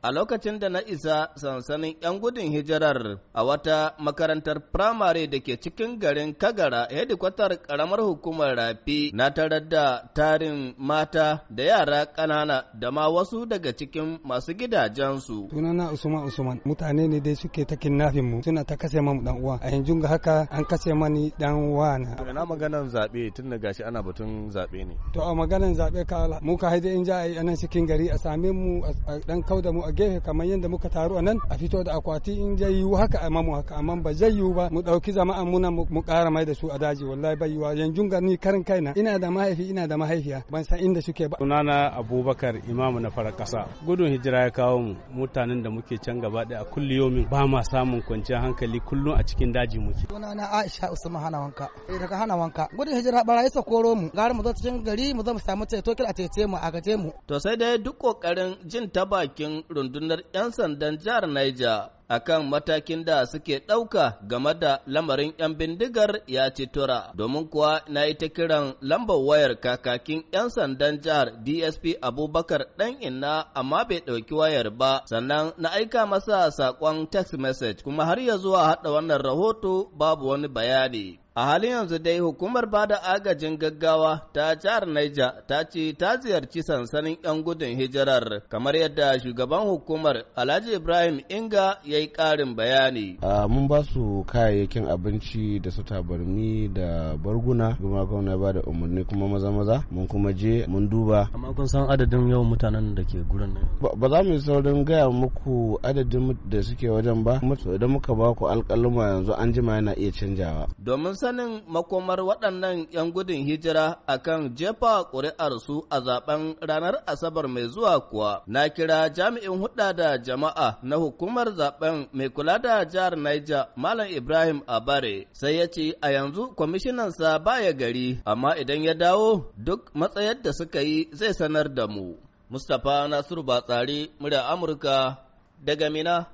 A lokacin da na isa sansanin 'yan gudun hijirar a wata makarantar firamare da ke cikin garin Kagara, hedikwatar ƙaramar hukumar Rafi, na tarar da tarin mata da yara ƙanana da ma wasu daga cikin masu gidajensu. Sunana Usman Usman, mutane ne dai suke ta kidnapping mu, suna ta kashe mu dan uwa. A yanzu ga haka an kashe mani dan uwa na. Na maganan zaɓe, tun da gashi ana batun zaɓe ne. To, a maganan zaɓe ka mu ka haide in ja a yi anan cikin gari, a same mu a dan kauda mu a gefe kamar yadda muka taru a nan, a fito da akwati in zai yiwu haka a mamu haka, amma ba zai yiwu ba mu ɗauki jama'an muna mu ƙara mai da su a daji, wallahi bai yiwa. Yanzu ga ni karin kaina, ina da mahaifi, ina da mahaifiya, ban san inda suke ba. Sunana Abubakar Imamu na farar ƙasa. Gudun hijira ya kawo mu, mutanen da muke can gaba ɗaya, a kulliyomin ba ma samun kwanciyar hankali, kullum a cikin daji muke. Sunana Aisha Usman Hana Wanka. Daga Hana Wanka. Gudun hijira, barayi sa koro mu, gara mu zo cikin gari mu zo mu samu ceto, kila a cece mu, a gaje mu. To sai dai duk kokarin jin ta bakin rundunar 'yan sandan jihar Niger akan matakin da suke ɗauka game da lamarin 'yan bindigar ya ci tura, domin kuwa na yi ta kiran lambar wayar kakakin 'yan sandan jihar, DSP Abubakar Ɗan Inna, amma bai ɗauki wayar ba, sannan na aika masa saƙon text message, kuma har ya zuwa haɗa wannan rahoto babu wani bayani. A halin yanzu dai hukumar bada agajin gaggawa ta jihar Niger ta ce ta ziyarci sansanin 'yan gudun hijirar, kamar yadda shugaban hukumar, Alhaji Ibrahim Inga, ya yi ƙarin bayani. Mun ba su kayayyakin abinci da su tabarmi da barguna, kuma gwamna ba da umarni kuma maza maza mun kuma je mun duba. Amma kun san adadin yawan mutanen da ke gurin nan? Ba za mu yi saurin gaya muku adadin da suke wajen ba, idan muka ba ku alƙaluma yanzu, an jima yana iya canjawa. Domin sanin makomar waɗannan 'yan gudun hijira akan jefa ƙuri'arsu a zaben ranar Asabar mai zuwa kuwa, na kira jami'in hudda da jama'a na hukumar zaben mai kula da jihar Niger, Malam Ibrahim Abare, sai ya ce a yanzu kwamishinansa baya gari, amma idan ya dawo duk matsayar da suka yi zai sanar da mu. Mustapha Nasiru Batsari, murya Amurka, daga Mina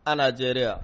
a Najeriya.